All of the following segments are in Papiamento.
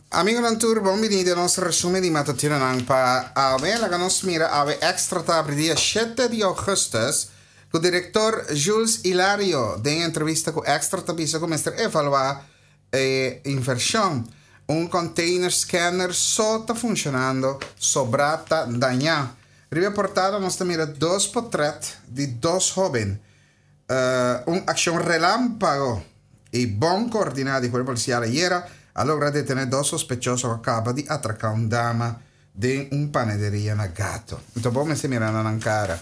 Amigonan tur bon bini den nos resumen di matutinonan pa awe. Laga nos mira awe Extra ta abri dia shete di augustus ku direktor Jules Ilario den entrevista ku Extra ta bisa ku mester evalua e invershon. Un container scanner so ta funshonando, sobrá ta dañá. Riba e portada nos ta mira dos potret di dos hoben. Un akshon relámpago i bon koordiná di Kuerpo Polisial ayera a logra detené dos sospechoso ku a kaba di atraká un dama den un panederia na Gato. Anto bo mester mira na nan kara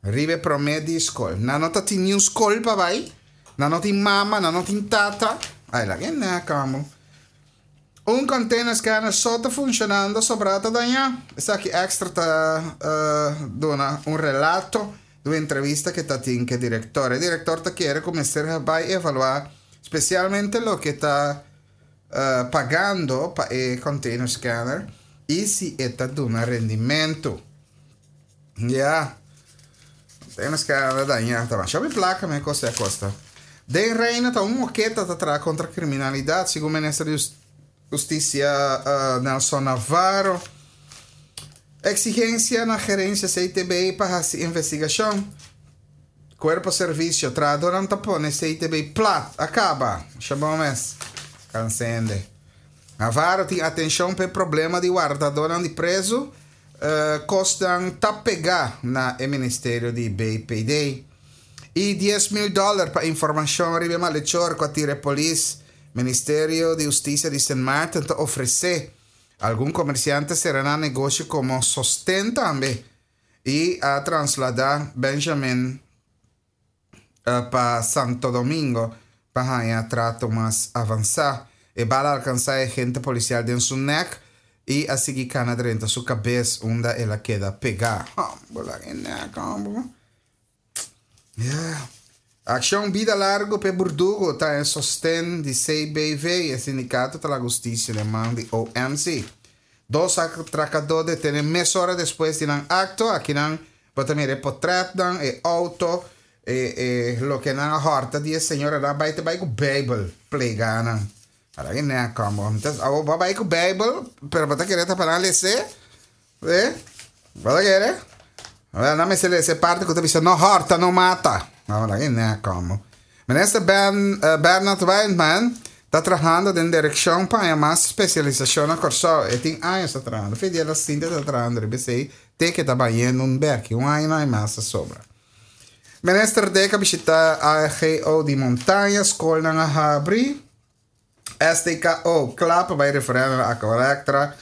riba e promé di skol. Nan no ta tin niun skol pa bai, nan no tin mama, nan no tin tata. Ai laga e nèk amo. Un container scanner so ta funcionando, sobrá ta dañá. Esaki Extra ta duna un relato di un entrevista ke ta tin ke director. E director ta kere ku mester bai evaluá spesialmente loke ta pagando pa e container scanner i si e ta duna rendimentu. Ya. Container scanner ta dañá. Ta masha hopi plaka mi kos a kosta. Den Reino ta un moketa ta traha kontra kriminalidat, segun minister di Hustisia Nelson Navarro. Eksigensia na gerensia CTB pa hasi investigashon. Kuerpo servisio, trahadónan ta pone CTB plat, a kaba. Masha bon mes. Kansende. Navarro tin atenshon pa e problema di wardadónan di prezu. Kosnan ta pegá na e ministerio di BPD. I 10,000 dòler pa informashon riba e malechor ku a tira e polis. Ministerio di Hustisia di Sint Maarten ta ofresé. Algun komersiante sera nan negoshi komo sosten tambe i a transladá Benjamin pa Santo Domingo pa haña trato mas avansá. E bala a alkansá e agente polisial den su nèk i a sigui kana drenta su kabes unda el a keda pegá. Akshon Bida Largu p'e Burdugu ta e sosten di CBV, e sindikato ta laga hustisia den man di OMC. Dos atrakadó detené mesora despues di nan akto. Akinan bo ta mira e potrètnan, e outo, e e loke nan a hòrta di e señora. Nan a bai ta bai ku Beibel plegá nan. Ara ki nèk kòmbo. Awor bo a bai ku Beibel, pero bo ta kere ta pa nan les'é. Eh? Bo ta kere? Wel, nan mester lesa e parti ku ta bisa no hòrta, no mata. No, laga e nèk kòmbo. Minister Ben, eh, Bernard Wijnman ta trahando den direkshon pa haña mas spesialisashon na Kòrsou. E tin años ta trahando. Fe di el a sinti ta trahando riba esei te ke ta bayendo un bèki. Un aña no hay mas a sobra. Minister Dek a bishita AGO di Montaña, skolnan a habri. STKO kla pa bai referèndum na Aqualectra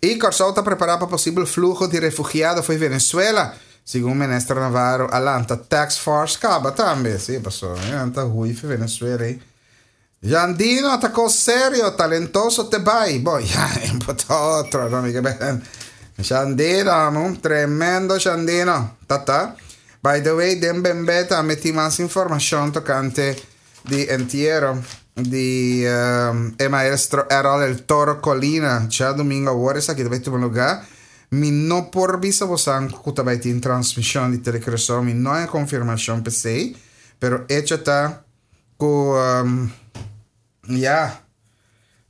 i Kòrsou ta prepará pa posibel fluho di refugiado fo'i Venezuela, segun minister Navarro a lanta task force kaba tambe, si pasobra nan ta hui fo'i Venezuela ei. Jandino ta kos serio, talentoso te bai, bo ya e bo ta otro no mi ke ben. Jandino amo, tremendo Jandino, tata. By the way den Bembe tambe tin mas informashon tokante Di entiero di e maestro Errol El Toro Colina djadumingo awor esaki ta bai tuma lugar. Mi no por bisa bosan cu ta bai tin transmision di Tele Curaçao, mi no hay confirmacion p'esey, pero hecho ta cu ya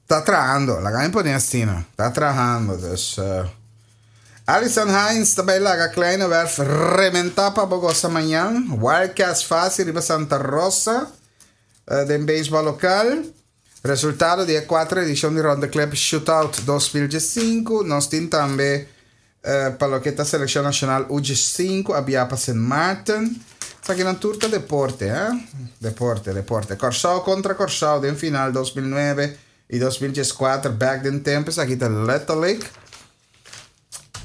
ta trahando, laga mi pone asina, ta trahando, dus Alison Hines ta bai laga Kleine Werf rementa pa bo gosa mañan. Wildcats fácil riba Santa Rosa den beisbòl lokal. Resultado di e kuater edishon di Ronde Klep Shootout 2015. Nos tin tambe pa loke ta selekshon nashonal U15 a bia pa Sint Maarten. Esakinan tur ta deporte, eh? Deporte, deporte. Kòrsou kontra Kòrsou den final 2009 i 2014 bèk den tempu. Esaki ta letterlijk.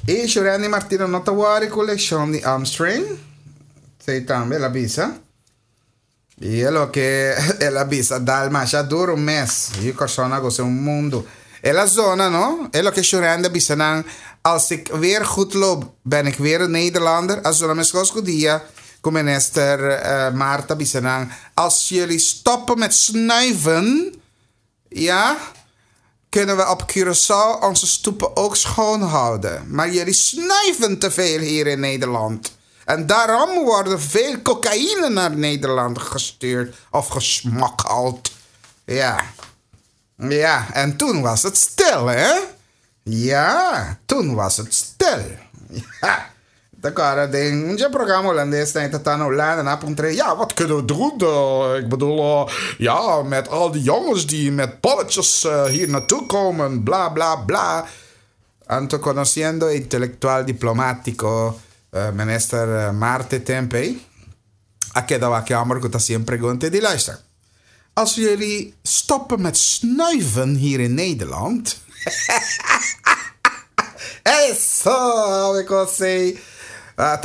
I Shurandy Martina no ta wòri ku lekshon di Armstring. Esei tambe el a bisa. I e loke el a bisa dal masha duru mes. I Kòrsou na gosa un mundu. El a zona no. E loke Shurandy a bisa nan, Als ik weer goed loop, ben ik weer een Nederlander. A zona meskos ku dia ku minister Martha a bisa nan, Als jullie stoppen met snuiven, ja, kunnen we op Curaçao onze stoepen ook schoon houden. Maar jullie snuiven te veel hier in Nederland. En daarom worden veel cocaïne naar Nederland gestuurd of gesmokkeld. Ja. Ja, en toen was het stil, hè? Ja, toen was het stil. Ja. Ta kòrda den un dje programa holandes nan e ta ta na Hulanda nan a puntra ja wat kunnen we doen ik bedoel ja met al die jongens die met bolletjes hier naartoe komen bla bla bla anto conociendo e intelectual diplomatico minister Marte Tempe a keda wak e homber cu ta haci un pregunta e di luister Als jullie stoppen met snuiven hier in Nederland. Eso, mi kosei.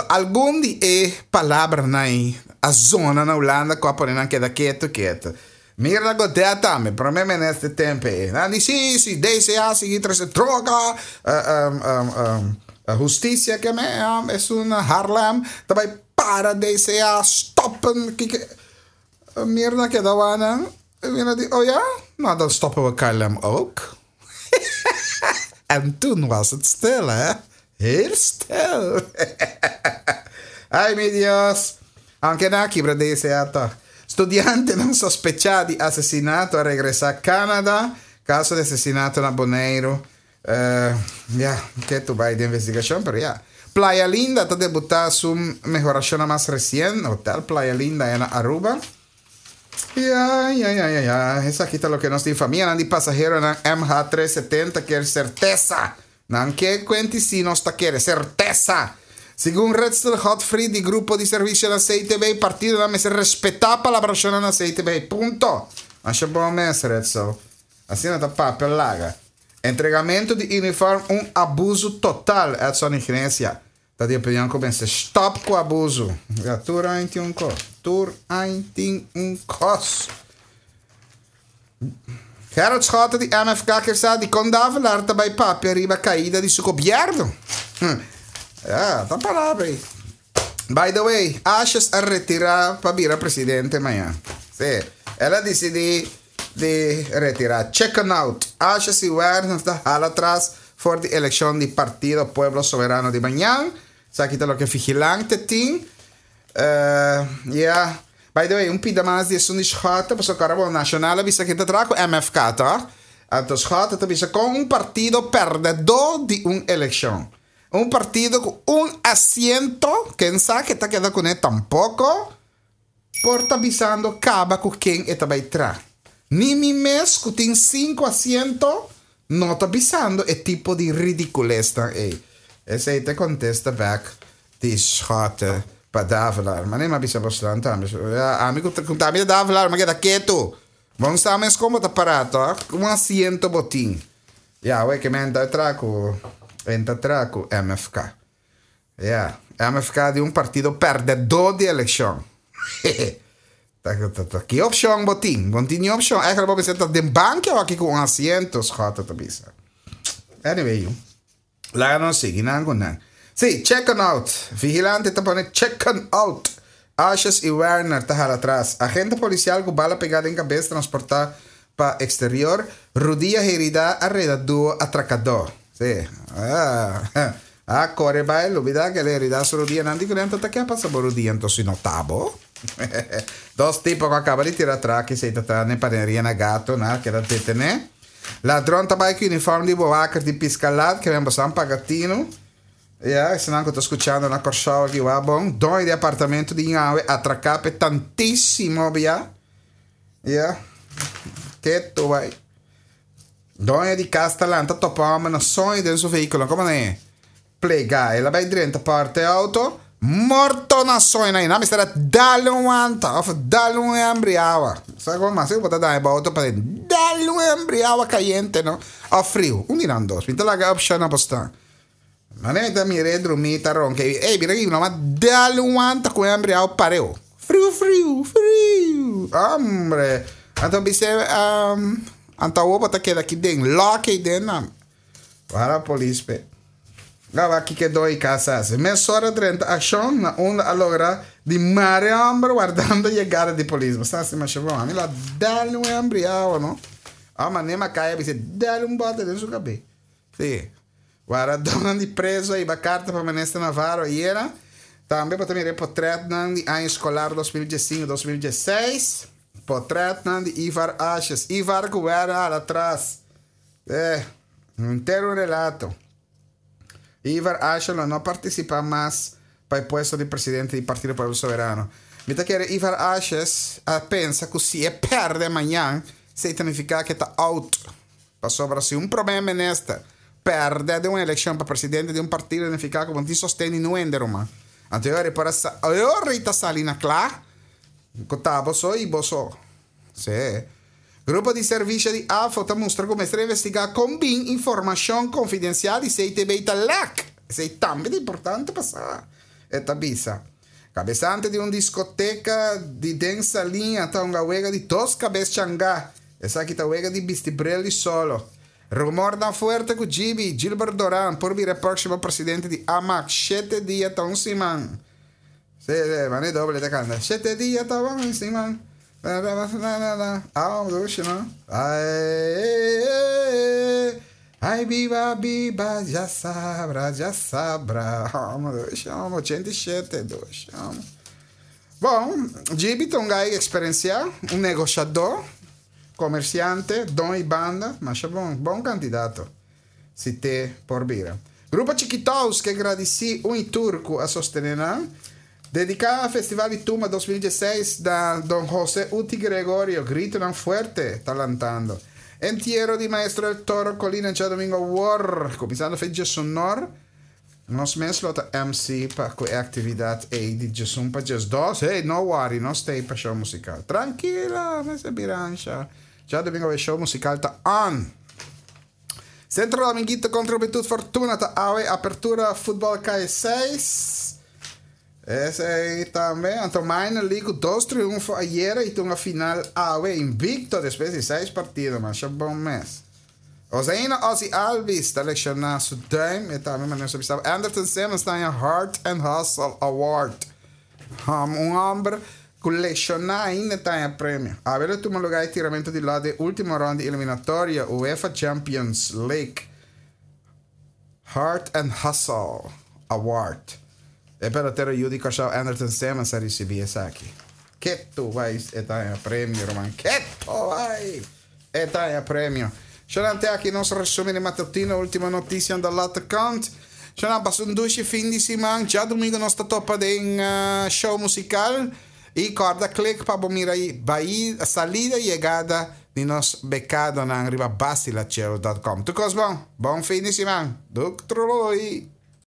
Algun di e palabranan ei a zona na Hulanda ku a pone nan keda ketu ketu. Mirna Godett tambe, prome minister tempu ei. Nan di si, si DCA sigui trese droga, hustisia ke me esun na Haarlem ta bai para DCA stoppen. Mirna keda wak nan, Mirna di, oh ja? Nou, dan stoppen we KLM ook. En toen was het stil, hè? Heel stil. Ay, mi Dios. Aunke nan a kibra DCA toch. Studiantenan sospechá di asesinato a regresá Canada. Caso di asesinato na Boneiru. Ya, ke tu bai di investigashon, pero ya. Playa Linda ta debutá su mehorashonnan mas resien, Hotel Playa Linda aya na Aruba. Ya, ya, ya, ya, ya. Esaki ta loke nos tin. Famianan di pasaheronan MH370 kier sertesa. Nan ke kuenti si nos ta kere sertesa. Segun Ritzel Godfried di Grupo di Servisionan CTB, partidonan mester respetá palabrashonnan na CTB. Punto. Masha bon mes, Ritzel. Asina ta papia laga. Entregamentu di uniform un abusu total, Edson Iglesia ta di opinion ku mester stop ku abusu. Ya tur aña tin un kos, tur aña tin un kos. Gerrit Schotte di MFK ke sa dikon Davelaar ta bai papia riba kaida di su gobièrnu. Ya, ta palabra ei. By the way, Asjes a retira pa bira presidente mañan. Sí, el a disidí di retira. Chicken out. Asjes i Werner ta hala atras for di elekshon di Partido Pueblo Soberano di mañan. Esaki ta loke Vigilante tin. Ya. By the way, un pida mas di esun di Schotte, pasobra ku ora bo Nacional a bisa ke ta traha ku MFK, tòg? Anto Schotte ta bisa kon un partido pèrdèdó di un elekshon. Un partido ku un asiento, ken sa ke ta keda kuné tampoko por ta bisando kaba ku ken e ta bai tra. Ni mi mes ku tin sinku asiento no ta bisando e tipo di ridikulesnan ei. Esei ta e kontesta bèk di Schotte pa Davelaar. Manera mi a bisa bosnan tambe, ami ku ta mi ta Davelaar mi a keda ketu. Bon sa mes kon bo ta pará tòg? Un asiento bo tin. Ya, awor ke men ta tra ku en ta tra ku MFK. Ya, MFK di un partido pèrdèdó di elekshon. Ta ta ta ki opshon bo tin? Bo no tin ni opshon. Eigenlijk bo mester ta den banki awor aki ku un asiento, Schotte ta bisa. Anyway, yu. Laga nos sigui nan ku nan. Sí, chicken out. Vigilante ta pone chicken out. Asjes i Werner ta hala atras. Agente polisial ku bala pegá den kabes transportá pa eksterior. Rudia heridá a reda duo atrakadó. Sí. Ah, a kore bai lubidá ke el heridá su rudia. Nan di ku nan ta ta ke a pasa bo rudia enton si no ta bo. Dos tipo ku a kaba di tira atraki esei ta ta n'e paneria na Gato nan a keda detené. Ladron ta bai ku uniform di bewaker di piskalat ke men bosan paga tinu. Ya, esnan ku ta skuchando na Kòrsou aki wak bon. Doño di apartamento di Ñawe atraká p'e tantísimo bia. Ya, ketu bai. Doño di kas ta lanta topa hòmber na soño den su vehíkulo. Komo nan e? Plega. El a bai drenta parti e auto, morto na soño na mester a dal un wanta of dal un hembri awa. Sa con mas bo ta daña bo auto pa den dal un hembri awa cayente no of friu. Un di nan dos. Mi ta laga opcion na bo stan. Mane mi ta mira e drumi ta ronca y ey mira aki mi no a dal un wanta cu hembri awa pareu. Friu friu friu. Hombre. Anto bis'e anto awo bo ta keda aki den lock ey den nan. Para polis pe. Gaba kiko e doi kas hasi. Mesora drenta akshon na unda a logra di mare e homber wardando yegada di polis. Bo sa hasi masha bon. Ami lo a dal un hembri awa no. Ò manera mi a kai a bisa dal un bote den su kabe. Si. Wardadónan di preso a hiba karta pa Minister Navarro ayera. Tambe bo ta mira e potretnan di aña eskolar 2015, 2016. Potretnan di Ivar Asjes. Ivar ku wèrda hala atras. Eh, henter un relato. Ivar Asjes lo no partisipá mas pa e puesto di presidente di Partido Pueblo Soberano. Mi ta kere Ivar Asjes a pensa ku si e pèrdè mañan, esei ta nifiká ku e ta out. Pasobra si un promé minister pèrdè den un elekshon pa presidente di un partido nifiká ku bo no tin sosten di niun hende ruman. Anto e ora e por a sa, e ora ei ta sali na kla ku ta bo so i bo so. Sí. Grupo di servisio di AFO ta mustra ku mester investigá kon bin informashon konfidensial di CTB ta lèk. Esei tambe ta importante pa sa, e ta bisa. Kabesante di un diskoteka di den Saliña ta hunga wega di dos kabes changá. Esaki ta wega di bisti bril di solo. Rumornan fuerte ku Gibi, Gilbert Doran, por bira e próksimo presidente di Amak. Shete dia ta un siman. Sí, sí, mane doble ta kanta. Shete dia ta un siman. Ah, dushi, no? Ai, ai, biba, biba, ya sabra, ya sabra. Amo, dushi, amo, 87, dushi, amo. Bon, Gibi ta un gai eksperensiá, un negoshadó, komersiante, don i banda, masha bon, bon kandidato, si te por bira. Grupo Chikitous ke gradisí un i tur ku a sostené nan. Dediká Festival di Tumba 2016 na Don Jose Uti Gregorio, gritonan fuerte ta lantando. Entiero di Maestro El Toro Colina djadomingo awor, kuminsando fe djesonor. Nos mes lo ta MC pa ku e aktividat ei di djesun pa djesdos. Hey, no worry, nos ta ei pa show musikal. Trankilo, mester bira ansha. Djadomingo e show musikal ta on. Centro Dominguito kontra Juventud Fortuna ta awe apertura futbol kai 6. Esei tambe. Anto Minor League ku dos triunfo ayera i tunga final awe invicto despues di 6 partido. Masha bon mes. Ozaina Ozzy Albies ta lekshoná su duim. E tambe manera su bisa. Anderton Simmons ta haña Heart and Hustle Award. Um, un homber ku lekshoná ainda ta haña premio. Awe lo tuma lugá e tiramento di lòt den último rònt di eliminatoria UEFA Champions League. Heart and Hustle Award. E pelotero yu di Kòrsou Anderton Simmons a risibí esaki. Ketu bai e ta haña premio, ruman. Ketu bai e ta haña premio. Shonan te aki nos resumen di matutino, ultimo noticianan da Lotte Kant. Shonan pasa un dushi fin di siman. Djadumingu nos ta topa den show musical. I kòrda klik pa bo mira bai salida i yegada di nos bekadonan riba basilachel dot com. Tur kos bon. Bon fin di siman. Duk troloi.